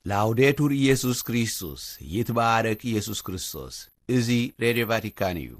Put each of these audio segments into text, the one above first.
ላውዴቱር ኢየሱስ ክርስቶስ፣ ይትባረክ ኢየሱስ ክርስቶስ። እዚ ሬድዮ ቫቲካን እዩ።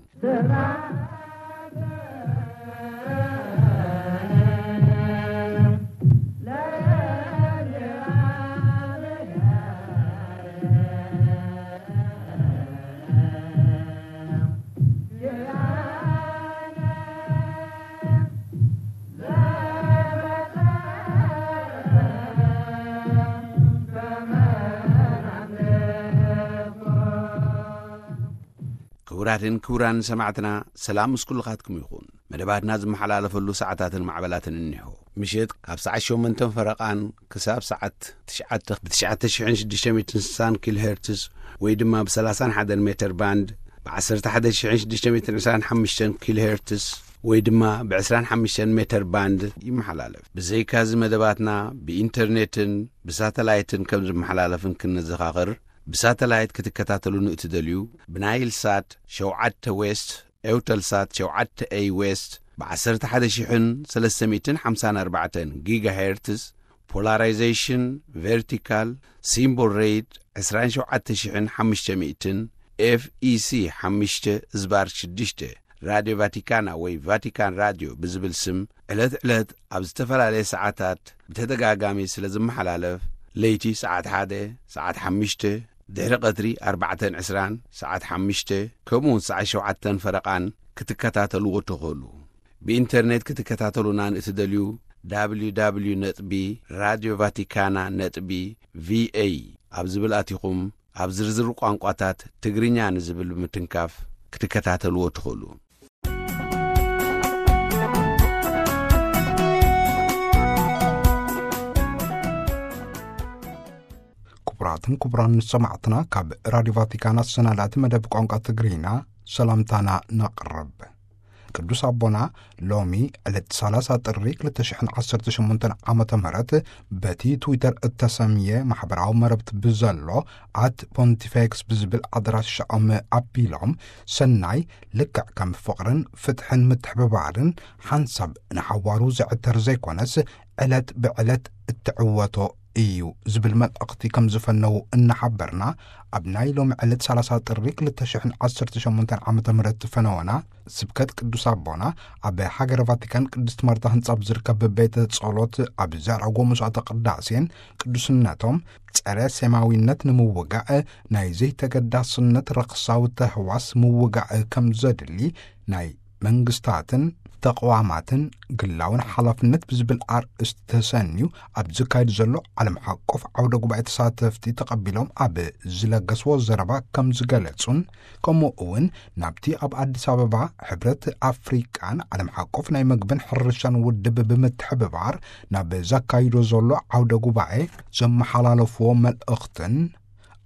ክቡራትን ክቡራን ሰማዕትና፣ ሰላም ምስ ኩልኻትኩም ይኹን። መደባትና ዝመሓላለፈሉ ሰዓታትን ማዕበላትን እኒሆ። ምሽት ካብ ሰዓት ሸሞንተን ፈረቓን ክሳብ ሰዓት ትሽዓተ ብ ትሽዓተ ሽሕን ሽዱሽተ ሚእትን ስሳን ኪሎ ሄርትስ ወይ ድማ ብ ሰላሳን ሓደን ሜተር ባንድ፣ ብ ዓሰርተ ሓደ ሽሕን ሽዱሽተ ሚእትን ዕስራን ሓሙሽተን ኪሎ ሄርትስ ወይ ድማ ብ ዕስራን ሓሙሽተን ሜተር ባንድ ይመሓላለፍ። ብዘይካዚ መደባትና ብኢንተርኔትን ብሳተላይትን ከም ዝመሓላለፍን ክንዘኻኽር፣ ብሳተላይት ክትከታተሉ ንእትደልዩ፣ ብናይል ሳት ሸውዓተ ዌስት፣ ኤውተልሳት ሸውዓተ ኤይ ዌስት፣ ብ ዓሰርተ ሓደ ሽሕን ሰለስተ ሚእትን ሓምሳን ኣርባዕተን ጊጋሄርትስ፣ ፖላራይዜሽን ቨርቲካል፣ ሲምቦል ሬት ዕስራን ሸውዓተ ሽሕን ሓሙሽተ ሚእትን፣ ኤፍ ኢ ሲ ሓሙሽተ ዝባር ሽዱሽተ፣ ራድዮ ቫቲካና ወይ ቫቲካን ራድዮ ብዝብል ስም ዕለት ዕለት ኣብ ዝተፈላለየ ሰዓታት ብተደጋጋሚ ስለ ዝመሓላለፍ፣ ለይቲ ሰዓት ሓደ፣ ሰዓት ሓሙሽተ፣ ድሕሪ ቀትሪ ኣርባዕተን ዕስራን፣ ሰዓት ሓሙሽተ፣ ከምኡ እውን ሰዓት ሸውዓተን ፈረቓን ክትከታተልዎ ትኽእሉ። ብኢንተርኔት ክትከታተሉና ንእትደልዩ፣ www ነጥቢ ራድዮ ቫቲካና ነጥቢ ቪኤ ኣብ ዝብል ኣቲኹም፣ ኣብ ዝርዝር ቋንቋታት ትግርኛ ንዝብል ብምትንካፍ ክትከታተልዎ ትኽእሉ። ክቡራትን ክቡራን ሰማዕትና፣ ካብ ራድዮ ቫቲካን ኣሰናዳእቲ መደብ ቋንቋ ትግርኛ ሰላምታና ነቕርብ። ቅዱስ ኣቦና ሎሚ ዕለት ሰላሳ ጥሪ ክልተ ሽሕን ዓሰርተ ሸሞንተን ዓመተ ምህረት በቲ ትዊተር እተሰምየ ማሕበራዊ መረብቲ ብዘሎ ኣት ፖንቲፌክስ ብዝብል ኣድራሻኦም ኣቢሎም፣ ሰናይ ልክዕ ከም ፍቕርን ፍትሕን ምትሕብባርን ሓንሳብ ንሓዋሩ ዝዕተር ዘይኮነስ፣ ዕለት ብዕለት እትዕወቶ እዩ ዝብል መልእኽቲ ከም ዝፈነዉ እናሓበርና፣ ኣብ ናይ ሎሚ ዕለት ሰላሳ ጥሪ ክልተ ሽሕን ዓሰርተ ሸሞንተን ዓመተ ምህረት ፈነወና ስብከት ቅዱስ ኣቦና ኣብ ሃገረ ቫቲካን ቅድስት ማርታ ህንጻ ኣብ ዝርከብ ቤተ ጸሎት ኣብ ዘዕረጎ መስዋዕተ ቅዳሴን፣ ቅዱስነቶም ጸረ ሴማዊነት ንምውጋእ ናይ ዘይተገዳስነት ረኽሳዊ ተህዋስ ምውጋእ ከም ዘድሊ፣ ናይ መንግስታትን ተቕዋማትን ግላውን ሓላፍነት ብዝብል ኣርእስቲ ተሰንዩ ኣብ ዝካየድ ዘሎ ዓለም ሓቆፍ ዓውደ ጉባኤ ተሳተፍቲ ተቐቢሎም ኣብ ዝለገስዎ ዘረባ ከም ዝገለጹን፣ ከምኡ እውን ናብቲ ኣብ ኣዲስ ኣበባ ሕብረት ኣፍሪቃን ዓለም ሓቆፍ ናይ መግብን ሕርሻን ውድብ ብምትሕብባር ናብ ዘካይዶ ዘሎ ዓውደ ጉባኤ ዘመሓላለፍዎ መልእኽትን፣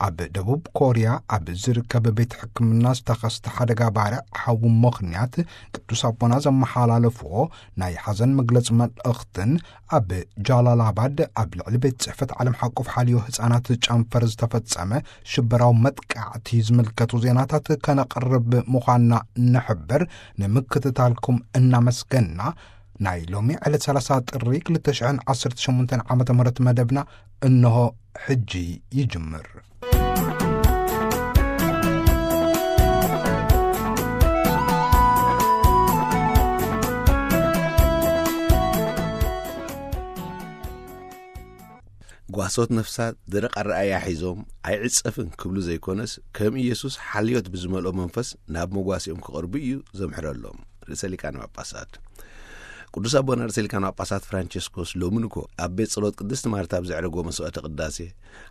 ኣብ ደቡብ ኮርያ ኣብ ዝርከብ ቤት ሕክምና ዝተኸስተ ሓደጋ ባርዕ ሓዊ ምኽንያት ቅዱስ ኣቦና ዘመሓላለፍዎ ናይ ሓዘን መግለጺ መልእኽትን፣ ኣብ ጃላላባድ ኣብ ልዕሊ ቤት ጽሕፈት ዓለም ሓቆፍ ሓልዮ ህጻናት ጨንፈር ዝተፈጸመ ሽበራዊ መጥቃዕቲ ዝምልከቱ ዜናታት ከነቕርብ ምዃንና ንሕብር። ንምክትታልኩም እናመስገንና፣ ናይ ሎሚ ዕለት ሰላሳ ጥሪ ክልተ ሽሕን ዓሰርተ ሸሞንተን ዓመተ ምህረት መደብና እንሆ ሕጂ ይጅምር። ጓሶት ነፍሳት ደረቕ ኣረኣእያ ሒዞም ኣይዕጸፍን ክብሉ ዘይኮነስ፣ ከም ኢየሱስ ሓልዮት ብዝመልኦ መንፈስ ናብ መጓሲኦም ክቐርቡ እዩ ዘምሕረሎም። ርእሰ ሊቃነ ጳጳሳት ቅዱስ ኣቦና ርእሰ ሊቃነ ጳጳሳት ፍራንቸስኮስ ሎሚ ንግሆ ኣብ ቤት ጸሎት ቅድስቲ ማርታ ኣብ ዘዕረጎ መስዋዕተ ቅዳሴ፣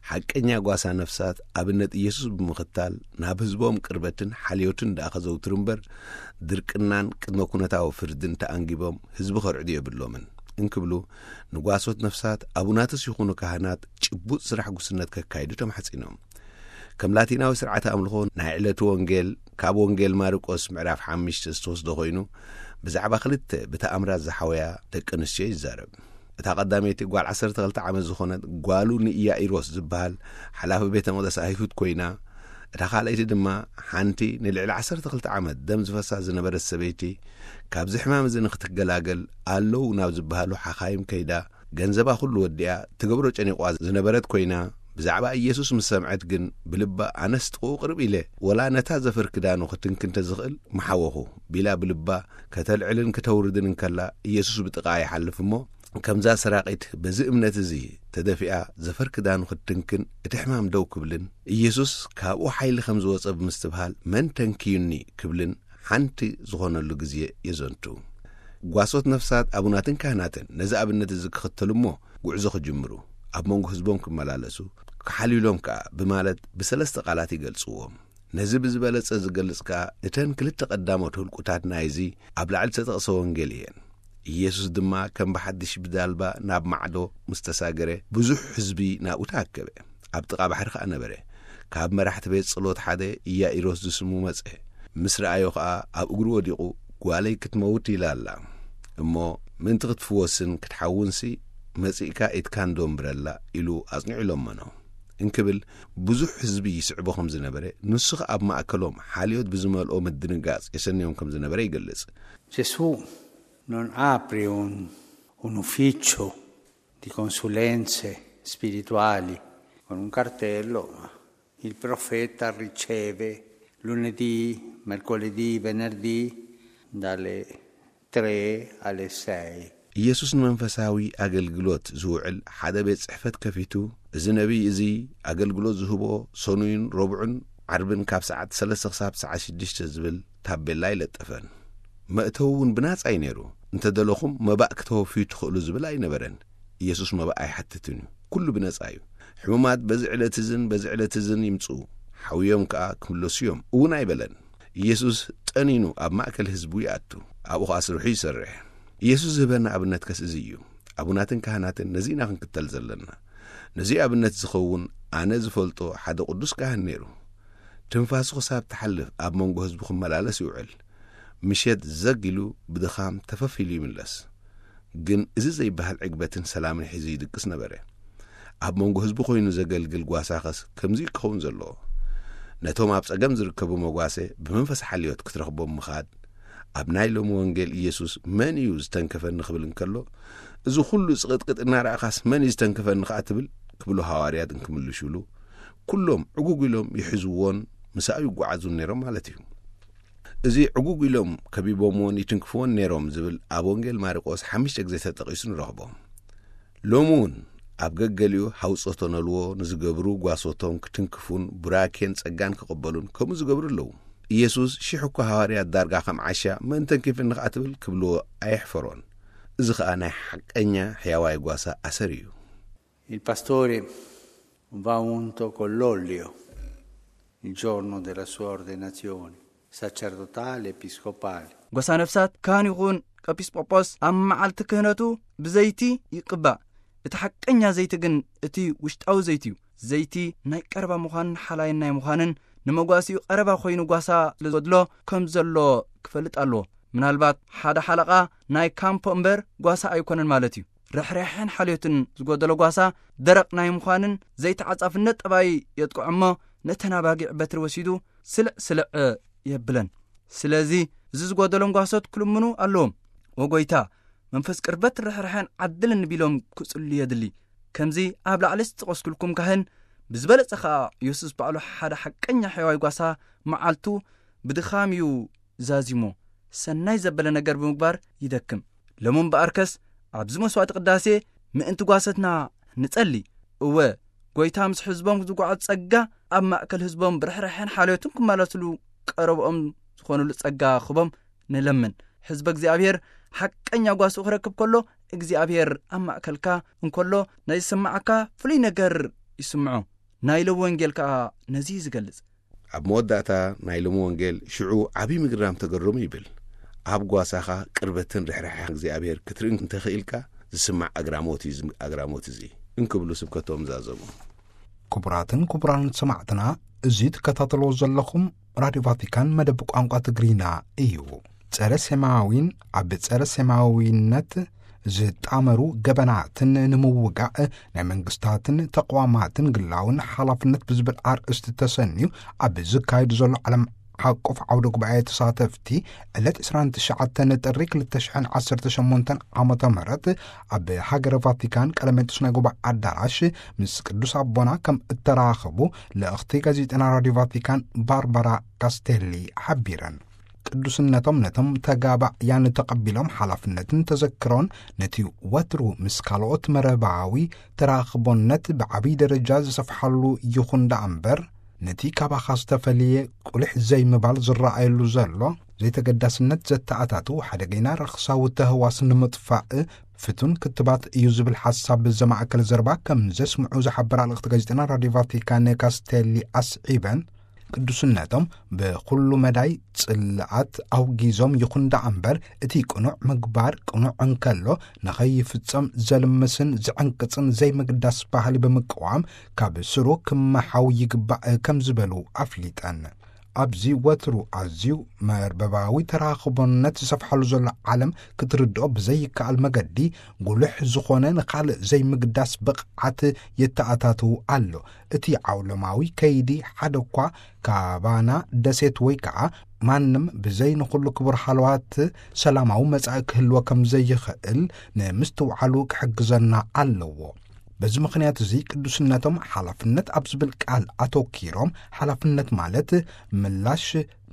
ሓቀኛ ጓሳ ነፍሳት ኣብነት ኢየሱስ ብምኽታል ናብ ህዝቦም ቅርበትን ሓልዮትን ደኣ ከዘውትሩ እምበር፣ ድርቅናን ቅድመ ኩነታዊ ፍርድን ተኣንጊቦም ህዝቢ ከርዕዱ የብሎምን እንክብሉ፣ ንጓሶት ነፍሳት ኣቡናትስ ይኹኑ ካህናት ጭቡጥ ስራሕ ጉስነት ከካይዱ ተማሕጺኖም። ከም ላቲናዊ ስርዓተ ኣምልኾ ናይ ዕለቱ ወንጌል ካብ ወንጌል ማርቆስ ምዕራፍ ሓሙሽተ ዝተወስደ ኮይኑ፣ ብዛዕባ ክልተ ብተኣምራት ዝሓወያ ደቂ ኣንስትዮ ይዛረብ። እታ ቀዳመይቲ ጓል ዓሰርተ ክልተ ዓመት ዝኾነት ጓሉ ንኢያኢሮስ ዝበሃል ሓላፊ ቤተ መቕደስ ኣይሁድ ኮይና፣ እታ ካልኣይቲ ድማ ሓንቲ ንልዕሊ ዓሰርተ ክልተ ዓመት ደም ዝፈሳ ዝነበረት ሰበይቲ፣ ካብዚ ሕማም እዚ ንክትገላገል ኣለዉ ናብ ዝበሃሉ ሓኻይም ከይዳ፣ ገንዘባ ኩሉ ወዲኣ ትገብሮ ጨኒቋ ዝነበረት ኮይና፣ ብዛዕባ ኢየሱስ ምስ ሰምዐት ግን ብልባ ኣነስ ጥቕኡ ቅርብ ኢለ ወላ ነታ ዘፈር ክዳኑ ክትንኪ እንተ ዝኽእል ምሓወኹ ቢላ ብልባ ከተልዕልን ክተውርድን እንከላ ኢየሱስ ብጥቓ ይሓልፍ እሞ ከምዛ ሰራቒት በዚ እምነት እዚ ተደፊኣ ዘፈር ክዳኑ ክትንክን እቲ ሕማም ደው ክብልን ኢየሱስ ካብኡ ሓይሊ ከም ዝወጸ ብምስትብሃል መን ተንክዩኒ ክብልን ሓንቲ ዝኾነሉ ግዜ የዘንቱ። ጓሶት ነፍሳት ኣቡናትን ካህናትን ነዚ ኣብነት እዚ ክኽተሉ እሞ ጉዕዞ ክጅምሩ ኣብ መንጎ ህዝቦም ክመላለሱ ክሓልዩሎም ከኣ ብማለት ብሰለስተ ቃላት ይገልጽዎም። ነዚ ብዝበለጸ ዝገልጽ ከኣ እተን ክልተ ቀዳሞት ህልቁታት ናይዚ ኣብ ላዕሊ ዝተጠቕሰ ወንጌል እየን። ኢየሱስ ድማ ከም ብሓድሽ ብዳልባ ናብ ማዕዶ ምስ ተሳገረ ብዙሕ ህዝቢ ናብኡ ተኣከበ። ኣብ ጥቓ ባሕሪ ከኣ ነበረ። ካብ መራሕቲ ቤት ጸሎት ሓደ ኢያኢሮስ ዝስሙ መጸ። ምስ ረኣዮ ከኣ ኣብ እግሩ ወዲቑ ጓለይ ክትመውት ኢላ ኣላ እሞ ምእንቲ ክትፍወስን ክትሓውንሲ መጺእካ ኢድካ እንዶ እምብረላ ኢሉ ኣጽኒዑ ለመኖ። እንክብል ብዙሕ ህዝቢ ይስዕቦ ከም ዝነበረ ንሱ ከኣ ኣብ ማእከሎም ሓልዮት ብዝመልኦ ምድንጋጽ የሰንዮም ከም ዝነበረ ይገልጽ። Gesù non apre un, un ufficio di consulenze spirituali con un cartello, ma il profeta riceve lunedì, mercoledì, venerdì dalle tre alle sei. ኢየሱስ ንመንፈሳዊ ኣገልግሎት ዝውዕል ሓደ ቤት ጽሕፈት ከፊቱ፣ እዚ ነቢይ እዚ ኣገልግሎት ዝህቦ ሰኑይን ረቡዕን ዓርብን ካብ ሰዓት ሰለስተ ክሳብ ሰዓት ሽዱሽተ ዝብል ታቤላ ኣይለጠፈን። መእተዊ እውን ብናጻ እዩ ነይሩ። እንተ ደለኹም መባእ ክተወፍዩ ትኽእሉ ዝብል ኣይነበረን። ኢየሱስ መባእ ኣይሓትትን እዩ። ኩሉ ብነጻ እዩ። ሕሙማት በዚ ዕለት እዝን በዚ ዕለት እዝን ይምጽኡ፣ ሓውዮም ከኣ ክምለሱ እዮም እውን ኣይበለን። ኢየሱስ ጠኒኑ ኣብ ማእከል ህዝቡ ይኣቱ፣ ኣብኡ ኸኣ ስርሑ ይሰርሕ። ኢየሱስ ዝህበና ኣብነት ከስ እዚ እዩ። ኣቡናትን ካህናትን ነዚ ኢና ክንክተል ዘለና። ነዚ ኣብነት ዝኸውን ኣነ ዝፈልጦ ሓደ ቅዱስ ካህን ነይሩ። ትንፋሱ ክሳብ ትሓልፍ ኣብ መንጎ ህዝቡ ክመላለስ ይውዕል። ምሸት ዘግ ኢሉ ብድኻም ተፈፍ ኢሉ ይምለስ። ግን እዚ ዘይበሃል ዕግበትን ሰላምን ሒዙ ይድቅስ ነበረ። ኣብ መንጎ ህዝቡ ኮይኑ ዘገልግል ጓሳኸስ ከምዚ ክኸውን ዘለዎ። ነቶም ኣብ ጸገም ዝርከቡ መጓሰ ብመንፈስ ሓልዮት ክትረኽቦም ምኻድ። ኣብ ናይ ሎሚ ወንጌል ኢየሱስ መን እዩ ዝተንከፈኒ ክብል እንከሎ፣ እዚ ኩሉ ጽቕጥቅጥ እናረኣኻስ መን እዩ ዝተንከፈኒ ከኣ ትብል ክብሉ ሃዋርያት እንክምልሹሉ፣ ኩሎም ዕጉግ ኢሎም ይሕዝዎን ምሳኡ ይጓዓዙን ነይሮም ማለት እዩ። እዚ ዕጉግ ኢሎም ከቢቦምዎን ይትንክፍዎን ነይሮም ዝብል ኣብ ወንጌል ማርቆስ ሓሙሽተ ግዜ ተጠቒሱ ንረኽቦ። ሎሚ እውን ኣብ ገገሊኡ ሃውጾቶ ነልዎ ንዝገብሩ ጓሶቶም ክትንክፉን ቡራኬን ጸጋን ክቕበሉን ከምኡ ዝገብሩ ኣለዉ። ኢየሱስ ሽሕ እኳ ሃዋርያት ዳርጋ ከም ዓሻ መን ተንኪፍኒ ከኣ ትብል ክብልዎ ኣየሕፈሮን። እዚ ኸኣ ናይ ሓቀኛ ሕያዋይ ጓሳ ኣሰር እዩ። Il pastore va unto con l'olio il giorno della sua ordenazione sacerdotale, episcopale. ጓሳ ነፍሳት ካህን ይኹን ኤጲስቆጶስ ኣብ መዓልቲ ክህነቱ ብዘይቲ ይቅባእ። እቲ ሓቀኛ ዘይቲ ግን እቲ ውሽጣዊ ዘይቲ እዩ። ዘይቲ ናይ ቀረባ ምዃንን ሓላይን ናይ ምዃንን ንመጓሲኡ ቀረባ ኮይኑ ጓሳ ስለ ዝጎድሎ ከም ዘሎ ክፈልጥ ኣለዎ። ምናልባት ሓደ ሓለቓ ናይ ካምፖ እምበር ጓሳ ኣይኮነን ማለት እዩ። ርሕራሕን ሓልዮትን ዝጎደሎ ጓሳ ደረቕ ናይ ምዃንን ዘይተዓጻፍነት ጠባይ የጥቅዖ እሞ ነተን ኣባጊዕ በትሪ ወሲዱ ስልዕ ስልዕ የብለን። ስለዚ እዚ ዝጎደሎም ጓሶት ክልምኑ ኣለዎም። "ወጎይታ፣ መንፈስ ቅርበት ርሕራሕን ዓድልን" ቢሎም ክጽሉ የድሊ። ከምዚ ኣብ ላዕሊ ዝጠቐስኩልኩም ካህን ብዝበለጸ ኸኣ የሱስ ባዕሉ ሓደ ሓቀኛ ሕያዋይ ጓሳ መዓልቱ ብድኻም እዩ ዛዚሞ ሰናይ ዘበለ ነገር ብምግባር ይደክም። ሎም እምበኣርከስ ኣብዚ መስዋዕቲ ቅዳሴ ምእንቲ ጓሰትና ንጸሊ። እወ፣ ጎይታ ምስ ሕዝቦም ዝጓዓዝ ጸጋ ኣብ ማእከል ሕዝቦም ብርሕራሐን ሓልዮትን ክመላለስሉ ቀረብኦም ዝኾኑሉ ጸጋ ክቦም ንለምን። ሕዝበ እግዚኣብሔር ሓቀኛ ጓስኡ ክረክብ ከሎ እግዚኣብሔር ኣብ ማእከልካ እንከሎ ናይ ዝስምዓካ ፍሉይ ነገር ይስምዖ። ናይ ሎሚ ወንጌል ከኣ ነዚ እዩ ዝገልጽ። ኣብ መወዳእታ ናይ ሎሚ ወንጌል ሽዑ ዓብዪ ምግራም ተገረሙ ይብል። ኣብ ጓሳኻ ቅርበትን ርሕራሐ እግዚኣብሔር ክትርኢ እንተኽኢልካ ዝስማዕ ኣግራሞት እዩ እዚ ኣግራሞት እዚ እንክብሉ ስብከቶም ዛዘሙ። ክቡራትን ክቡራን ሰማዕትና፣ እዚ ትከታተልዎ ዘለኹም ራድዮ ቫቲካን መደብ ቋንቋ ትግርኛ እዩ። ጸረ ሴማዊን ኣብ ጸረ ሴማዊነት ዝጣመሩ ገበናትን ንምውጋእ ናይ መንግስታትን ተቋማትን ግላውን ሓላፍነት ብዝብል ኣርእስቲ ተሰንዩ ኣብ ዝካየዱ ዘሎ ዓለም ሓቆፍ ዓውደ ጉባኤ ተሳተፍቲ ዕለት ዕስራን ትሽዓተን ጥሪ ክልተ ሽሕን ዓሰርተ ሸሞንተን ዓመተ ምህረት ኣብ ሃገረ ቫቲካን ቀለሜንጦስ ናይ ጉባኤ ኣዳራሽ ምስ ቅዱስ ኣቦና ከም እተራኸቡ ልእኽቲ ጋዜጠና ራዲዮ ቫቲካን ባርባራ ካስቴሊ ሓቢረን። ቅዱስነቶም ነቶም ተጋባእያን ተቐቢሎም ሓላፍነትን ተዘክሮን ነቲ ወትሩ ምስ ካልኦት መረባዊ ተራኽቦነት ብዓብዪ ደረጃ ዝሰፍሓሉ ይኹን ደኣ እምበር፣ ነቲ ካባኻ ዝተፈልየ ቁልሕ ዘይምባል ዝረኣየሉ ዘሎ ዘይተገዳስነት ዘተኣታቱ ሓደገኛ ረኽሳዊ ተህዋስ ንምጥፋእ ፍቱን ክትባት እዩ ዝብል ሓሳብ ዘማእከለ ዘረባ ከም ዘስምዑ ዝሓበራ ልእኽቲ ጋዜጠና ራዲዮ ቫቲካን ካስቴሊ ኣስዒበን፣ ቅዱስነቶም ብኹሉ መዳይ ጽልኣት ኣውጊዞም ይኹን ደኣ እምበር፣ እቲ ቅኑዕ ምግባር ቅኑዕ እንከሎ ንኸይፍጸም ዘልምስን ዝዕንቅጽን ዘይምግዳስ ባህሊ ብምቅዋም ካብ ስሩ ክመሓው ይግባእ ከም ዝበሉ ኣፍሊጠን። ኣብዚ ወትሩ ኣዝዩ መርበባዊ ተራኽቦነት ዝሰፍሓሉ ዘሎ ዓለም ክትርድኦ ብዘይከኣል መገዲ፣ ጉልሕ ዝኾነ ንኻልእ ዘይምግዳስ ብቕዓት የተኣታትው ኣሎ። እቲ ዓውለማዊ ከይዲ ሓደ እኳ ካባና ደሴት ወይ ከዓ ማንም ብዘይ ንኹሉ ክቡር ሃለዋት ሰላማዊ መጻኢ ክህልዎ ከም ዘይኽእል ንምስትውዓሉ ክሕግዘና ኣለዎ። በዚ ምኽንያት እዚ ቅዱስነቶም ሓላፍነት ኣብ ዝብል ቃል ኣተኪሮም፣ ሓላፍነት ማለት ምላሽ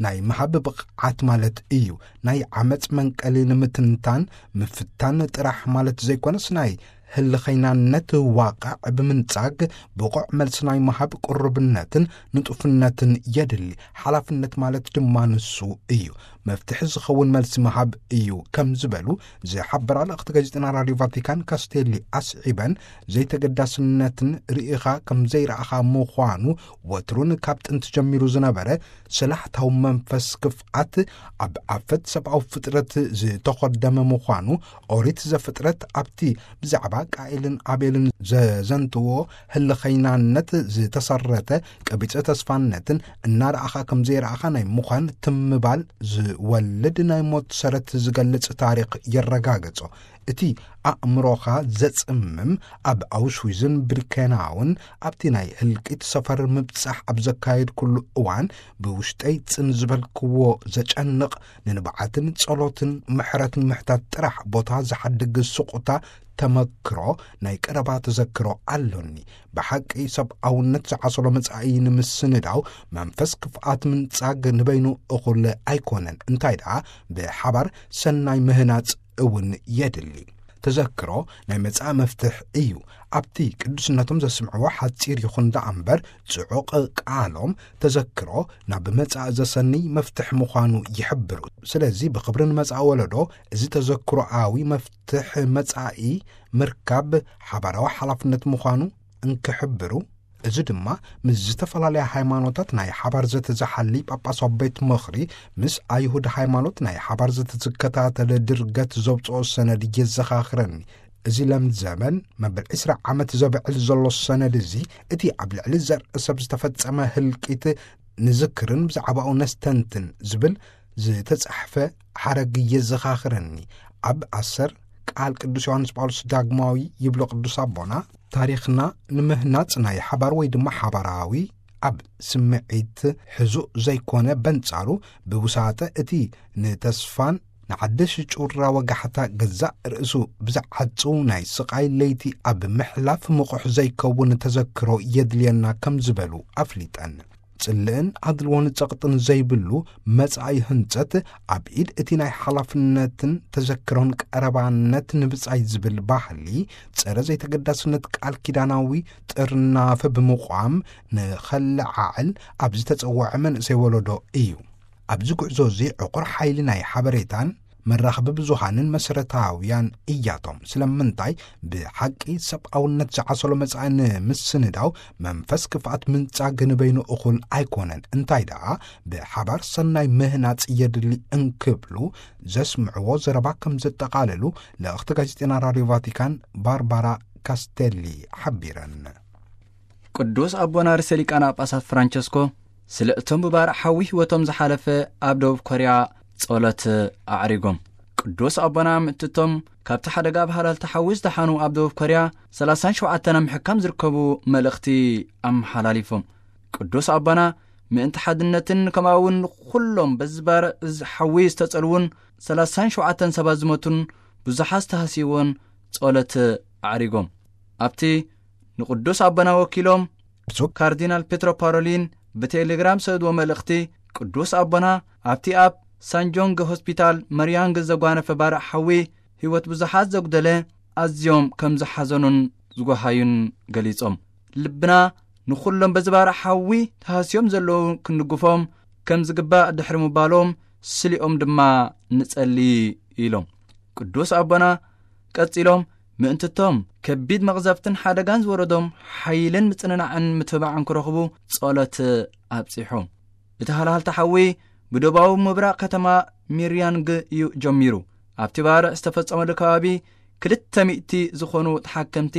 ናይ ምሃብ ብቕዓት ማለት እዩ። ናይ ዓመፅ መንቀሊ ንምትንታን ምፍታን ጥራሕ ማለት ዘይኮነስ፣ ናይ ህልኸይናነት ዋቕዕ ብምንጻግ ብቑዕ መልሲ ናይ ምሃብ ቅሩብነትን ንጡፍነትን የድሊ። ሓላፍነት ማለት ድማ ንሱ እዩ። መፍትሒ ዝኸውን መልሲ ምሃብ እዩ ከም ዝበሉ ዝሓበራ ልእኽቲ ጋዜጠና ራዲዮ ቫቲካን ካስቴሊ ኣስዒበን፣ ዘይተገዳስነትን ርኢኻ ከም ዘይረኣኻ ምዃኑ ወትሩን ካብ ጥንቲ ጀሚሩ ዝነበረ ሰላሕታዊ መንፈስ ክፍኣት ኣብ ኣፈት ሰብኣዊ ፍጥረት ዝተኾደመ ምዃኑ፣ ኦሪት ዘፍጥረት ኣብቲ ብዛዕባ ቃኤልን ኣቤልን ዘዘንትዎ ህልኸይናነት ዝተሰረተ ቀቢጸ ተስፋነትን እናረኣኻ ከም ዘይረኣኻ ናይ ምዃን ትምባል ዝወልድ ናይ ሞት ሰረት ዝገልጽ ታሪኽ የረጋገጾ። እቲ ኣእምሮኻ ዘጽምም ኣብ ኣውሽዊዝን ብርኬናውን ኣብቲ ናይ ህልቂት ሰፈር ምብጻሕ ኣብ ዘካየድኩሉ እዋን ብውሽጠይ ጽን ዝበልክዎ ዘጨንቕ ንንብዓትን ጸሎትን ምሕረት ምሕታት ጥራሕ ቦታ ዝሓድግ ስቑታ ተመክሮ ናይ ቀረባ ተዘክሮ ኣሎኒ። ብሓቂ ሰብኣውነት ዝዓሰሎ መጻኢ ንምስንዳው መንፈስ ክፍኣት ምንጻግ ንበይኑ እኹል ኣይኮነን። እንታይ ደኣ ብሓባር ሰናይ ምህናጽ እውን የድሊ። ተዘክሮ ናይ መጻኢ መፍትሕ እዩ። ኣብቲ ቅዱስነቶም ዘስምዕዎ ሓጺር ይኹን ደኣ እምበር ጽዑቕ ቃሎም ተዘክሮ ናብ መጻኢ ዘሰንይ መፍትሕ ምዃኑ ይሕብሩ። ስለዚ ብኽብሪ ንመጻኢ ወለዶ እዚ ተዘክሮኣዊ መፍትሕ መጻኢ ምርካብ ሓባራዊ ሓላፍነት ምዃኑ እንክሕብሩ፣ እዚ ድማ ምስ ዝተፈላለያ ሃይማኖታት ናይ ሓባር ዘተ ዝሓሊ ጳጳሳዊ ቤት ምኽሪ ምስ ኣይሁድ ሃይማኖት ናይ ሓባር ዘተ ዝከታተል ድርገት ዘውፅኦ ሰነድ የዘኻኽረኒ። እዚ ለምዘበን መበል ዕስራ ዓመት ዘብዕል ዘሎ ሰነድ እዚ፣ እቲ ኣብ ልዕሊ ዘርኢ ሰብ ዝተፈጸመ ህልቂት ንዝክርን ብዛዕባኡ ነስተንትን ዝብል ዝተጻሕፈ ሓረግ የዘኻኽረኒ። ኣብ ኣሰር ቃል ቅዱስ ዮሃንስ ጳውሎስ ዳግማዊ ይብሎ ቅዱስ ኣቦና፣ ታሪኽና ንምህናጽ ናይ ሓባር ወይ ድማ ሓባራዊ ኣብ ስምዒት ሕዙእ ዘይኮነ፣ በንጻሩ ብውሳጠ እቲ ንተስፋን ንሓድሽ ጩራ ወጋሕታ ገዛእ ርእሱ ብዝዓጹ ናይ ስቓይ ለይቲ ኣብ ምሕላፍ ምቑሕ ዘይከውን ተዘክሮ የድልየና ከም ዝበሉ ኣፍሊጠን። ጽልእን ኣድልዎን ጸቕጥን ዘይብሉ መጻኢ ህንጸት ኣብ ኢድ እቲ ናይ ሓላፍነትን ተዘክሮን ቀረባነት ንብጻይ ዝብል ባህሊ ጸረ ዘይተገዳስነት ቃል ኪዳናዊ ጥርናፈ ብምቋም ንኸለዓዕል ኣብ ዝተጸውዐ መንእሰይ ወለዶ እዩ። ኣብዚ ጉዕዞ እዚ ዕቑር ሓይሊ ናይ ሓበሬታን መራኸቢ ብዙሃንን መሰረታውያን እያቶም። ስለምንታይ ብሓቂ ሰብኣውነት ዝዓሰሎ መጻኢ ንምስንዳው መንፈስ ክፍኣት ምንጻግ ንበይኑ እኹል ኣይኮነን። እንታይ ደኣ ብሓባር ሰናይ ምህናጽ የድሊ እንክብሉ ዘስምዕዎ ዘረባ ከም ዘጠቓለሉ ልእኽቲ ጋዜጠና ራዲዮ ቫቲካን ባርባራ ካስቴሊ ሓቢረን። ቅዱስ ኣቦና ርእሰ ሊቃነ ጳጳሳት ፍራንቸስኮ ስለ እቶም ብባርዕ ሓዊ ህይወቶም ዝሓለፈ ኣብ ደቡብ ኮርያ ጸሎት ኣዕሪጎም። ቅዱስ ኣቦና ምእትቶም ካብቲ ሓደጋ ብሃላልቲ ሓዊ ዝደሓኑ ኣብ ደቡብ ኮርያ ሰላሳን ሸውዓተን ኣብ ምሕካም ዝርከቡ መልእኽቲ ኣመሓላሊፎም። ቅዱስ ኣቦና ምእንቲ ሓድነትን ከምኡ እውን ንኹሎም በዚ ባርዕ እዚ ሓዊ ዝተጸልዉን ሰላሳን ሸውዓተን ሰባት ዝሞቱን ብዙሓት ዝተሃስይዎን ጸሎት ኣዕሪጎም። ኣብቲ ንቅዱስ ኣቦና ወኪሎም ብፁዕ ካርዲናል ፔትሮ ፓሮሊን ብቴሌግራም ዝሰድዎ መልእኽቲ፣ ቅዱስ ኣቦና ኣብቲ ኣብ ሳንጆንግ ሆስፒታል መርያንግ ዘጓነፈ ባርዕ ሓዊ ህይወት ብዙሓት ዘጉደለ ኣዝዮም ከም ዝሓዘኑን ዝጎሃዩን ገሊጾም። ልብና ንኹሎም በዚ ባርዕ ሓዊ ተሃስዮም ዘለዉ ክንድግፎም ከም ዝግባእ ድሕሪ ምባሎም፣ ስሊኦም ድማ ንጸሊ ኢሎም። ቅዱስ ኣቦና ቀጺሎም፣ ምእንትቶም ከቢድ መቕዘፍትን ሓደጋን ዝወረዶም ሓይልን ምጽንናዕን ምትብባዕን ክረኽቡ ጸሎት ኣብጺሖም። እቲ ሃልሃልታ ሓዊ ብደቡባዊ ምብራቕ ከተማ ሚርያንግ እዩ ጀሚሩ። ኣብቲ ባርዕ ዝተፈጸመሉ ከባቢ ክልተ ሚእቲ ዝኾኑ ተሓከምቲ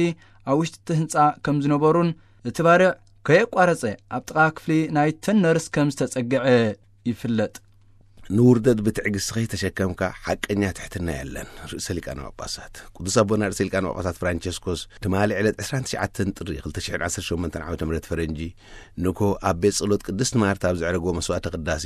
ኣብ ውሽጢ እቲ ህንጻ ከም ዝነበሩን እቲ ባርዕ ከየቋረጸ ኣብ ጥቓ ክፍሊ ናይተን ነርስ ከም ዝተጸግዐ ይፍለጥ። ንውርደት ብትዕግስቲ ከይተሸከምካ ሓቀኛ ትሕትና የለን። ርእሰ ሊቃነ ጳጳሳት ቅዱስ ኣቦና ርእሰ ሊቃነ ጳጳሳት ፍራንቸስኮስ ትማሊ ዕለት ዕስራን ትሽዓተን ጥሪ ክልተ ሽሕን ዓሰርተ ሸሞንተን ዓመተ ምህረት ፈረንጂ ንኮ ኣብ ቤት ጸሎት ቅድስት ማርታ ኣብ ዘዕረጎ መስዋዕተ ቅዳሴ፣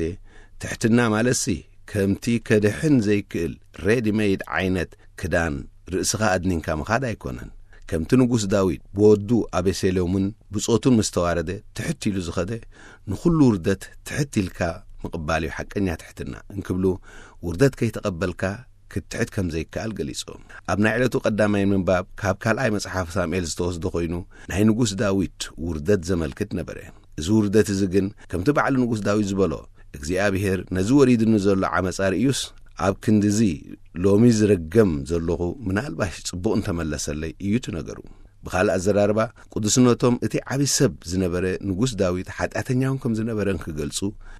ትሕትና ማለትሲ ከምቲ ከድሕን ዘይክእል ሬዲ ሜድ ዓይነት ክዳን ርእስኻ ኣድኒንካ ምኻድ ኣይኮነን። ከምቲ ንጉስ ዳዊት ብወዱ ኣቤሴሎምን ብጾቱን ምስ ተዋረደ ትሕት ኢሉ ዝኸደ፣ ንኹሉ ውርደት ትሕት ኢልካ ምቕባል እዩ ሓቀኛ ትሕትና እንክብሉ፣ ውርደት ከይተቐበልካ ክትትሕት ከም ዘይከኣል ገሊጾም። ኣብ ናይ ዕለቱ ቀዳማይ ምንባብ ካብ ካልኣይ መጽሓፍ ሳሙኤል ዝተወስደ ኮይኑ፣ ናይ ንጉስ ዳዊት ውርደት ዘመልክት ነበረ። እዚ ውርደት እዚ ግን ከምቲ ባዕሉ ንጉስ ዳዊት ዝበሎ፣ እግዚኣብሔር ነዚ ወሪድኒ ዘሎ ዓመጻ ርእዩስ፣ ኣብ ክንድዚ ሎሚ ዝረገም ዘለኹ ምናልባሽ ጽቡቕ እንተመለሰለይ እዩ እቲ ነገሩ። ብኻልእ ኣዘራርባ፣ ቅዱስነቶም እቲ ዓቢ ሰብ ዝነበረ ንጉስ ዳዊት ሓጢኣተኛ እውን ከም ዝነበረ እንክገልጹ፣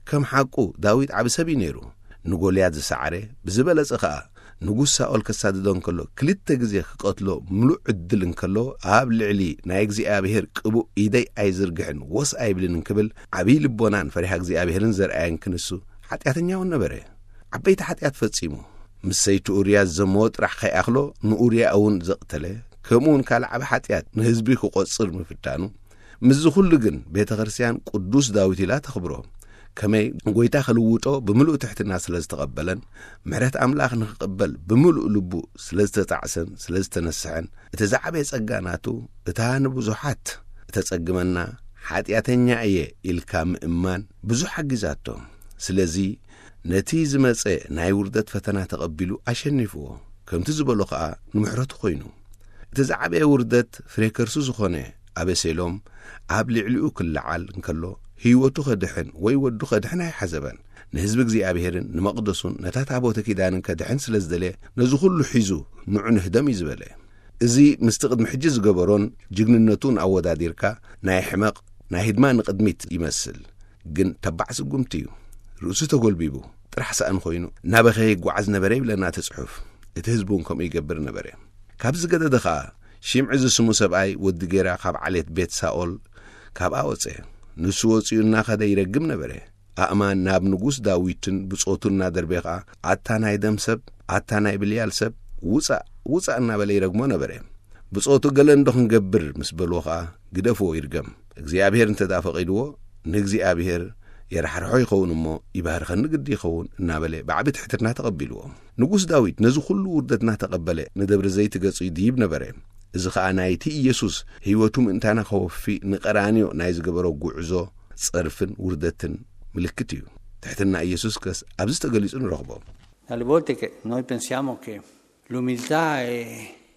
ከም ሓቁ ዳዊት ዓቢ ሰብ እዩ ነይሩ። ንጎልያድ ዝሰዓረ፣ ብዝበለጸ ኸኣ ንጉስ ሳኦል ከሳድዶ እንከሎ ክልተ ግዜ ክቐትሎ ምሉእ ዕድል እንከሎ፣ ኣብ ልዕሊ ናይ እግዚኣብሔር ቅቡእ ኢደይ ኣይዝርግሕን ወስ ኣይብልን እንክብል ዓብዪ ልቦናን ፈሪሃ እግዚኣብሔርን ዘርኣየን ክንሱ ሓጢኣተኛ እውን ነበረ። ዓበይቲ ሓጢኣት ፈጺሙ፣ ምስ ሰይቲ ኡርያ ዘመወ ጥራሕ ከይኣኽሎ ንኡርያ እውን ዘቕተለ፣ ከምኡ እውን ካልእ ዓቢ ሓጢኣት ንህዝቢ ክቖጽር ምፍታኑ፣ ምስዚ ኩሉ ግን ቤተ ክርስቲያን ቅዱስ ዳዊት ኢላ ተኽብሮ። ከመይ ጎይታ ክልውጦ ብምሉእ ትሕትና ስለ ዝተቐበለን፣ ምሕረት ኣምላኽ ንኽቕበል ብምሉእ ልቡ ስለ ዝተጣዕሰን ስለ ዝተነስሐን፣ እቲ ዝዓበየ ጸጋ ናቱ እታ ንብዙሓት እተጸግመና ሓጢኣተኛ እየ ኢልካ ምእማን ብዙሕ ሓጊዛቶ። ስለዚ ነቲ ዝመጸ ናይ ውርደት ፈተና ተቐቢሉ ኣሸኒፍዎ። ከምቲ ዝበሎ ኸኣ ንምሕረቱ ኮይኑ። እቲ ዝዓበየ ውርደት ፍሬ ከርሱ ዝኾነ ኣቤሴሎም ኣብ ልዕሊኡ ክለዓል እንከሎ፣ ህይወቱ ከድሕን ወይ ወዱ ከድሕን ኣይሓሰበን። ንህዝቢ እግዚኣብሔርን ንመቕደሱን ነታ ታቦተ ኪዳንን ከድሕን ስለ ዝደለየ፣ ነዚ ኩሉ ሒዙ ንዑ ንህደም እዩ ዝበለ። እዚ ምስቲ ቅድሚ ሕጂ ዝገበሮን ጅግንነቱን ኣወዳዲርካ፣ ናይ ሕመቕ ናይ ህድማ ንቕድሚት ይመስል። ግን ተባዕ ስጉምቲ እዩ። ርእሱ ተጎልቢቡ ጥራሕ ሰኣን ኮይኑ እናበኸየ ይጓዓዝ ነበረ ይብለና እቲ ጽሑፍ። እቲ ህዝቢ እውን ከምኡ ይገብር ነበረ። ካብ ዝገደደ ኸኣ፣ ሽምዒ ዝስሙ ሰብኣይ ወዲ ጌራ ካብ ዓሌት ቤት ሳኦል ካብኣ ወጸ። ንሱ ወጺኡ እናኸደ ይረግም ነበረ። ኣእማን ናብ ንጉስ ዳዊትን ብጾቱ እናደርበየ ኸኣ፣ ኣታ ናይ ደም ሰብ፣ ኣታ ናይ ብልያል ሰብ፣ ውጻእ፣ ውጻእ እናበለ ይረግሞ ነበረ። ብጾቱ ገለ እንዶ ክንገብር ምስ በልዎ ኸኣ፣ ግደፍዎ ይርገም። እግዚኣብሔር እንተ ደኣ ፈቒድዎ፣ ንእግዚኣብሔር የራሕርሖ ይኸውን እሞ፣ ይባርኸኒ ግዲ ይኸውን እናበለ ብዓቢ ትሕትና ተቐቢልዎ። ንጉስ ዳዊት ነዚ ኩሉ ውርደት እናተቐበለ ንደብረ ዘይት ገጹ ይድይብ ነበረ። እዚ ኸኣ ናይቲ ኢየሱስ ህይወቱ ምእንታና ከወፊ ንቀራንዮ ናይ ዝገበሮ ጉዕዞ ጸርፍን ውርደትን ምልክት እዩ። ትሕትና ኢየሱስ ከስ ኣብዚ ተገሊጹ ንረኽቦ። Alle volte che noi pensiamo che l'umiltà è,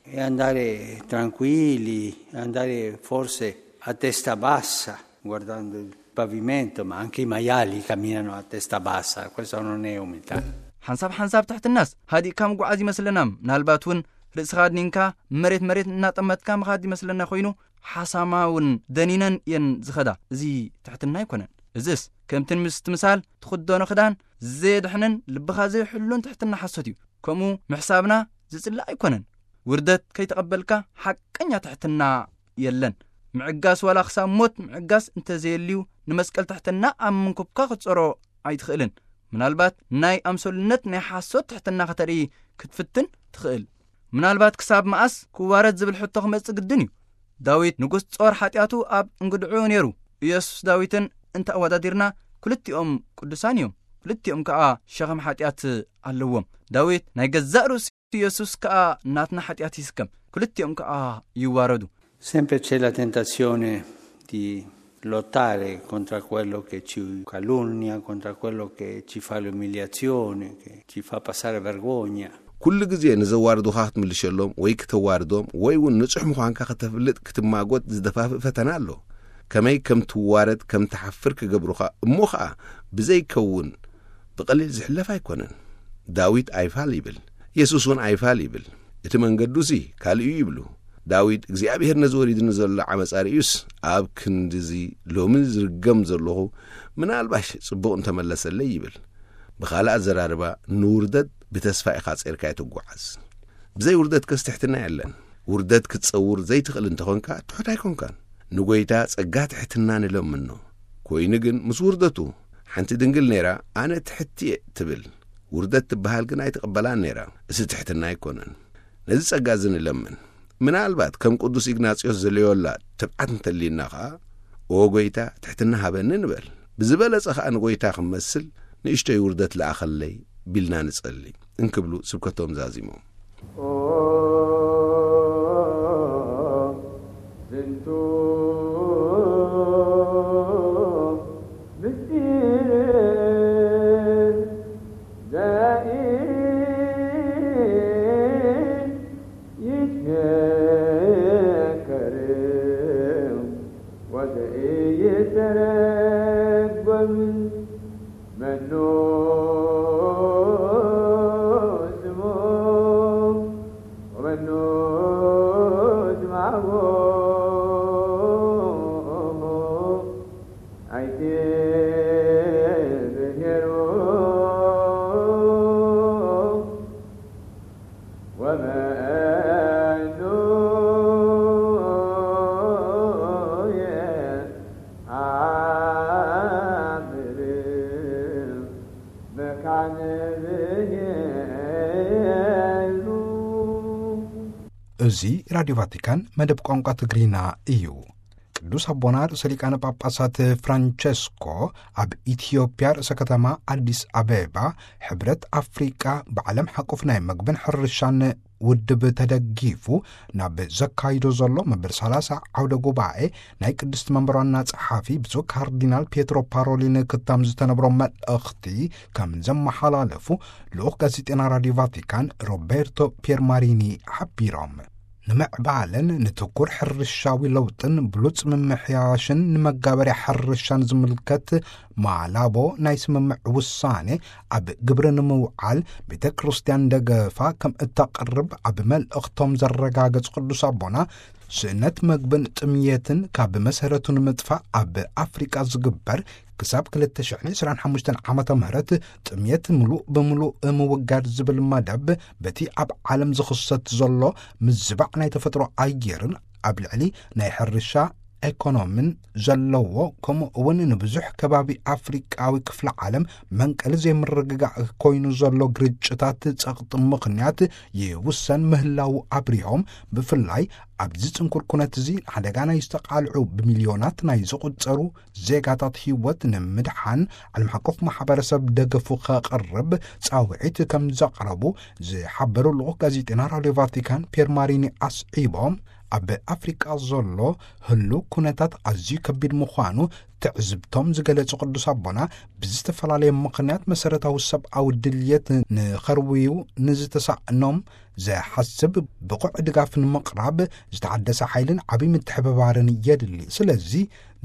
è andare tranquilli, andare forse a testa bassa, guardando il pavimento, ma anche i maiali camminano a testa bassa, questa non è umiltà. ሓንሳብ ሓንሳብ ትሕትናስ ሃዲእካ ምጉዓዝ ይመስለና። ምናልባት እውን ርእስኻ ኣድኒንካ መሬት መሬት እናጠመትካ ምኻድ ይመስለና ኮይኑ፣ ሓሳማ እውን ደኒነን እየን ዝኸዳ። እዚ ትሕትና ኣይኮነን። እዝስ ከምቲ ምስቲ ምሳል ትኽደኖ ክዳን ዘየድሕንን ልብኻ ዘይሕሉን ትሕትና ሓሶት እዩ። ከምኡ ምሕሳብና ዝጽላእ ኣይኮነን። ውርደት ከይተቐበልካ ሓቀኛ ትሕትና የለን። ምዕጋስ ዋላ ክሳብ ሞት ምዕጋስ እንተዘየልዩ፣ ንመስቀል ትሕትና ኣብ መንኩብካ ክትጸሮ ኣይትኽእልን። ምናልባት ናይ ኣምሰሉነት ናይ ሓሶት ትሕትና ከተርኢ ክትፍትን ትኽእል። ምናልባት ክሳብ መኣስ ክዋረድ ዝብል ሕቶ ክመጽእ ግድን እዩ። ዳዊት ንጉስ ጾር ሓጢኣቱ ኣብ እንግድዑ ነይሩ። ኢየሱስ ዳዊትን እንተ ኣወዳዲርና ክልቲኦም ቅዱሳን እዮም። ክልቲኦም ከኣ ሸኸም ሓጢኣት ኣለዎም። ዳዊት ናይ ገዛእ ርእሱ፣ ኢየሱስ ከኣ ናትና ሓጢኣት ይስከም። ክልቲኦም ከኣ ይዋረዱ። Sempre c'è la tentazione di lottare contro quello che ci calunnia, contro quello che ci fa l'umiliazione, che ci fa passare vergogna. ኩሉ ግዜ ንዘዋርዱኻ ክትምልሸሎም ወይ ክተዋርዶም ወይ እውን ንጹሕ ምዃንካ ከተፍልጥ ክትማጎት ዝደፋፍእ ፈተና ኣሎ። ከመይ ከም ትዋረድ ከም ትሓፍር ክገብሩኻ፣ እሞ ኸኣ ብዘይከውን ብቐሊል ዝሕለፍ ኣይኮነን። ዳዊት ኣይፋል ይብል፣ የሱስ እውን ኣይፋል ይብል። እቲ መንገዱሲ ካልእ እዩ ይብሉ። ዳዊት እግዚኣብሔር ነዚ ወሪድኒ ዘሎ ዓመጻ ርእዩስ፣ ኣብ ክንድዚ ሎሚ ዝርገም ዘለኹ ምናልባሽ ጽቡቕ እንተመለሰለይ ይብል። ብኻልእ ኣዘራርባ፣ ንውርደት ብተስፋ ኢኻ ጸርካይ ትጓዓዝ። ብዘይ ውርደት ከስ ትሕትና የለን። ውርደት ክትጸውር ዘይትኽእል እንተኾንካ ትሑት ኣይኮንካን። ንጎይታ ጸጋ ትሕትና ንለምኖ። ኮይኑ ግን ምስ ውርደቱ፣ ሓንቲ ድንግል ነይራ፣ ኣነ ትሕቲ እየ ትብል። ውርደት ትበሃል ግን ኣይትቕበላን ነይራ። እዚ ትሕትና ኣይኮነን። ነዚ ጸጋ እዚ ንለምን። ምናልባት ከም ቅዱስ ኢግናጽዮስ ዘልዮላ ትብዓት እንተልዩና ኸኣ፣ "ኦ ጎይታ፣ ትሕትና ሃበኒ" ንበል። ብዝበለጸ ኸኣ ንጎይታ ክመስል ንእሽቶይ ውርደት ለኣኸለይ ቢልና ንጸሊ እንክብሉ ስብከቶም ዛዚሞም። ዝንቱ ምስጢር ዘይትነገር ወዘይተረጎም መኑ ስሙ ወመኑ ዝማጎ ኣይትብሄሩ ወመኑ የአምር መካን ብሄሉ። እዚ ራዲዮ ቫቲካን መደብ ቋንቋ ትግርኛ እዩ። ቅዱስ ኣቦና ርእሰ ሊቃነ ጳጳሳት ፍራንቸስኮ ኣብ ኢትዮጵያ ርእሰ ከተማ ኣዲስ ኣበባ ሕብረት ኣፍሪቃ ብዓለም ሓቆፍ ናይ መግብን ሕርሻን ውድብ ተደጊፉ ናብ ዘካይዶ ዘሎ መበል ሰላሳ ዓውደ ጉባኤ ናይ ቅድስቲ መንበር ዋና ጸሓፊ ብፁዕ ካርዲናል ፒየትሮ ፓሮሊን ክታም ዝተነብሮ መልእኽቲ ከም ዘመሓላለፉ ልኡኽ ጋዜጤና ራዲዮ ቫቲካን ሮቤርቶ ፒየርማሪኒ ሓቢሮም። ንምዕባለን ንትኩር ሕርሻዊ ለውጥን ብሉጽ ምምሕያሽን ንመጋበርያ ሕርሻን ዝምልከት ማላቦ ናይ ስምምዕ ውሳኔ ኣብ ግብሪ ንምውዓል ቤተ ክርስቲያን ደገፋ ከም እተቕርብ ኣብ መልእኽቶም ዘረጋገጹ ቅዱስ ኣቦና፣ ስእነት መግብን ጥምየትን ካብ መሰረቱ ንምጥፋእ ኣብ ኣፍሪቃ ዝግበር ክሳብ ክልተ ሽሕን ዕስራን ሓሙሽተን ዓመተ ምህረት ጥምየት ምሉእ ብምሉእ ምውጋድ ዝብል መደብ በቲ ኣብ ዓለም ዝኽሰት ዘሎ ምዝባዕ ናይ ተፈጥሮ ኣየርን ኣብ ልዕሊ ናይ ሕርሻ ኤኮኖምን ዘለዎ፣ ከምኡ እውን ንብዙሕ ከባቢ ኣፍሪቃዊ ክፍለ ዓለም መንቀሊ ዘይምርግጋእ ኮይኑ ዘሎ ግርጭታት ጸቕጢ ምኽንያት ይውሰን ምህላዉ ኣብሪሆም፣ ብፍላይ ኣብዚ ጽንኩር ኩነት እዚ ሓደጋ ናይ ዝተቓልዑ ብሚልዮናት ናይ ዝቑጸሩ ዜጋታት ህይወት ንምድሓን ዓለም ሓቆፍ ማሕበረሰብ ደገፉ ከቕርብ ጻውዒት ከም ዘቕረቡ ዝሓበሩ ልኡኽ ጋዜጠና ራድዮ ቫቲካን ፒየር ማሪኒ ኣስዒቦም፣ ኣብ ኣፍሪቃ ዘሎ ህሉው ኩነታት ኣዝዩ ከቢድ ምዃኑ ትዕዝብቶም ዝገለጹ ቅዱስ ኣቦና፣ ብዝተፈላለየ ምኽንያት መሰረታዊ ሰብኣዊ ድልየት ንኸርውዩ ንዝተሳእኖም ዘሓስብ ብቑዕ ድጋፍ ንምቕራብ ዝተሓደሰ ሓይልን ዓብዪ ምትሕብባርን የድሊ። ስለዚ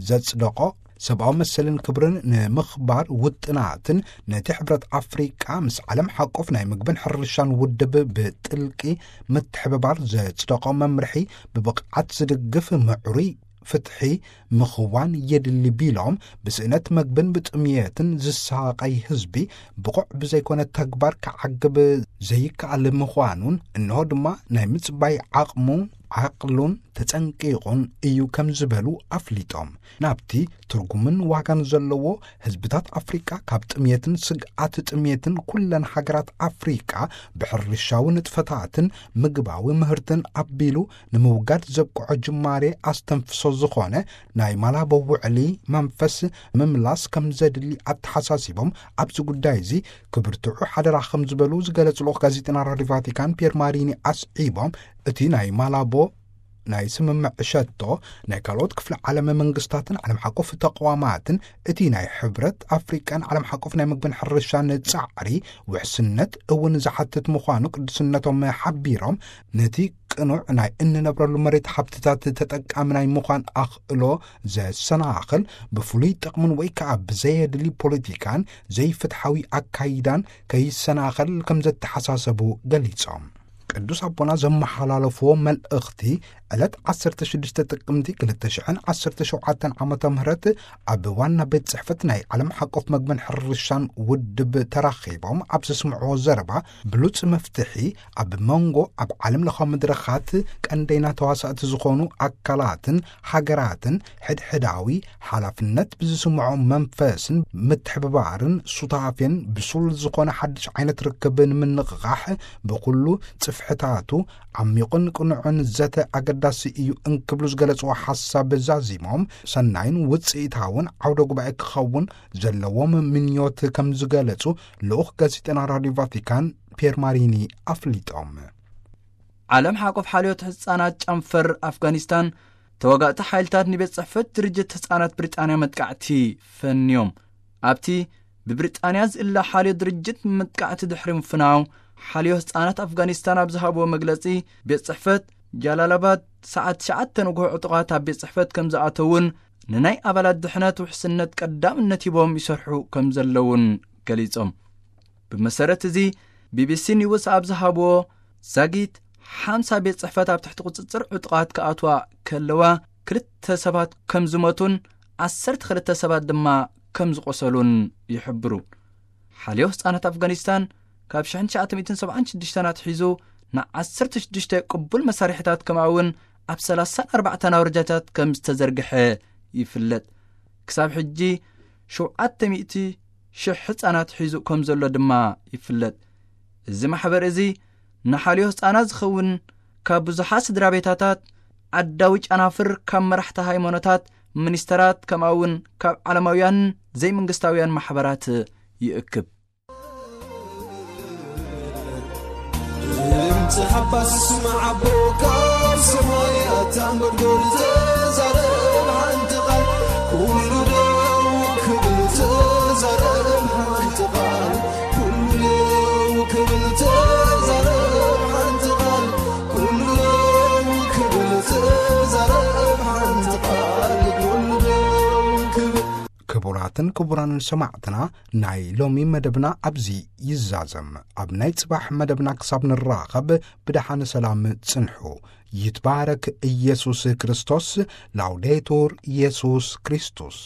ዘጽደቖ ሰብኣዊ መሰልን ክብርን ንምኽባር ውጥናትን ነቲ ሕብረት ኣፍሪቃ ምስ ዓለም ሓቆፍ ናይ ምግብን ሕርሻን ውድብ ብጥልቂ ምትሕብባር ዘጽደቖ መምርሒ ብብቕዓት ዝድግፍ ምዕሩይ ፍትሒ ምኽዋን የድሊ ቢሎም፣ ብስእነት መግብን ብጥምየትን ዝሳቐይ ህዝቢ ብቑዕ ብዘይኮነ ተግባር ክዓግብ ዘይከኣል ምዃኑን፣ እንሆ ድማ ናይ ምጽባይ ዓቕሙ ዓቕሉን ተጸንቂቑን እዩ ከም ዝበሉ ኣፍሊጦም። ናብቲ ትርጉምን ዋጋን ዘለዎ ህዝብታት ኣፍሪቃ ካብ ጥምየትን ስግኣት ጥምየትን ኩለን ሃገራት ኣፍሪቃ ብሕርሻዊ ንጥፈታትን ምግባዊ ምህርትን ኣቢሉ ንምውጋድ ዘብቅዖ ጅማሬ ኣስተንፍሶ ዝኾነ ናይ ማላቦ ውዕሊ መንፈስ ምምላስ ከም ዘድሊ ኣተሓሳሲቦም፣ ኣብዚ ጉዳይ እዚ ክብርትዑ ሓደራ ከም ዝበሉ ዝገለጹ ልኡኽ ጋዜጠና ራዲዮ ቫቲካን ፒየር ማሪኒ ኣስዒቦም፣ እቲ ናይ ማላቦ ናይ ስምምዕ ሸቶ ናይ ካልኦት ክፍለ ዓለም መንግስታትን ዓለም ሓቆፍ ተቋማትን እቲ ናይ ሕብረት ኣፍሪቃን ዓለም ሓቆፍ ናይ ምግብን ሕርሻን ጻዕሪ ውሕስነት እውን ዝሓትት ምዃኑ ቅዱስነቶም ሓቢሮም፣ ነቲ ቅኑዕ ናይ እንነብረሉ መሬት ሃብትታት ተጠቃሚ ናይ ምዃን ኣኽእሎ ዘሰናኽል፣ ብፍሉይ ጥቕምን ወይ ከኣ ብዘየድሊ ፖለቲካን ዘይፍትሓዊ ኣካይዳን ከይሰናኸል ከም ዘተሓሳሰቡ ገሊጾም። ቅዱስ ኣቦና ዘመሓላለፍዎ መልእኽቲ፣ ዕለት ዓሰርተ ሽዱሽተ ጥቅምቲ ክልተ ሽሕን ዓሰርተ ሸውዓተን ዓመተ ምህረት ኣብ ዋና ቤት ጽሕፈት ናይ ዓለም ሓቆፍ መግብን ሕርሻን ውድብ ተራኺቦም ኣብ ዘስምዕዎ ዘረባ፣ ብሉጽ መፍትሒ ኣብ መንጎ ኣብ ዓለም ለኻዊ መድረኻት ቀንደይና ተዋሳእቲ ዝኾኑ ኣካላትን ሃገራትን ሕድሕዳዊ ሓላፍነት ብዝስምዖ መንፈስን ምትሕብባርን ሱታፌን ብሱል ዝኾነ ሓድሽ ዓይነት ርክብ ንምንቕቓሕ ብኹሉ ጽፍሕታቱ ዓሚቑን ቅኑዕን ዘተ ኣገዳሲ እዩ እንክብሉ ዝገለጽዎ ሓሳብ ዛዚሞም፣ ሰናይን ውጽኢታውን ዓውደ ጉባኤ ክኸውን ዘለዎም ምንዮት ከም ዝገለጹ ልኡኽ ጋዜጠና ራዲዮ ቫቲካን ፒየር ማሪኒ ኣፍሊጦም። ዓለም ሓቆፍ ሓልዮት ህጻናት ጨንፈር ኣፍጋኒስታን ተዋጋእቲ ሓይልታት ንቤት ጽሕፈት ድርጅት ህጻናት ብሪጣንያ መጥቃዕቲ ፈንዮም። ኣብቲ ብብሪጣንያ ዝእለ ሓልዮ ድርጅት መጥቃዕቲ ድሕሪ ምፍናው፣ ሓልዮ ህጻናት ኣፍጋኒስታን ኣብ ዝሃብዎ መግለጺ፣ ቤት ጽሕፈት ጃላላባድ ሰዓት ትሽዓተ ንግሆ ዕጡቓት ኣብ ቤት ጽሕፈት ከም ዝኣተውን ንናይ ኣባላት ድሕነት ውሕስነት ቀዳምነት ሂቦም ይሰርሑ ከም ዘለውን ገሊጾም። ብመሰረት እዚ፣ ቢቢሲ ኒውስ ኣብ ዝሃብዎ፣ ዛጊት ሓምሳ ቤት ጽሕፈት ኣብ ትሕቲ ቁጽጽር ዕጡቓት ክኣትዋ ከለዋ፣ ክልተ ሰባት ከም ዝሞቱን ዓሰርተ ክልተ ሰባት ድማ ከም ዝቖሰሉን ይሕብሩ። ሓልዮ ህጻናት ኣፍጋኒስታን ካብ ሽሕን ትሽዓተ ሚእትን ሰብዓን ሽዱሽተን ኣትሒዙ ንዓሰርተ ሽዱሽተ ቅቡል መሳርሒታት ከምኡ እውን ኣብ ሰላሳን ኣርባዕተን ኣውረጃታት ከም ዝተዘርግሐ ይፍለጥ። ክሳብ ሕጂ ሸውዓተ ሚእቲ ሽሕ ህጻናት ሒዙ ከም ዘሎ ድማ ይፍለጥ። እዚ ማሕበር እዚ ንሓልዮ ህጻናት ዝኸውን ካብ ብዙሓት ስድራ ቤታታት፣ ዓዳዊ ጨናፍር፣ ካብ መራሕቲ ሃይማኖታት፣ ሚኒስተራት፣ ከምኡ እውን ካብ ዓለማውያን ዘይመንግስታውያን ማሕበራት ይእክብ። ድምፂ ሓባስ ስማዕ ኣቦ ካብ ሰማይ ኣታ እንጎድጎድ ተዛረብ ሓንቲ ቃል። ኩሉ ደው ክብል ተዛረብ ሓንቲ ቃል። ኩሉ ደው ክብል ተዛረብ ሓንቲ ቃል። ኩሉ ደው ክብል ተዛረብ ሓንቲ ቃል። ኩሉ ደው ክብል። ክቡራትን ክቡራንን ሰማዕትና፣ ናይ ሎሚ መደብና ኣብዚ ይዛዘም። ኣብ ናይ ጽባሕ መደብና ክሳብ ንራኸብ ብደሓን ሰላም ጽንሑ። ይትባረክ ኢየሱስ ክርስቶስ። ላውዴቱር ኢየሱስ ክርስቶስ።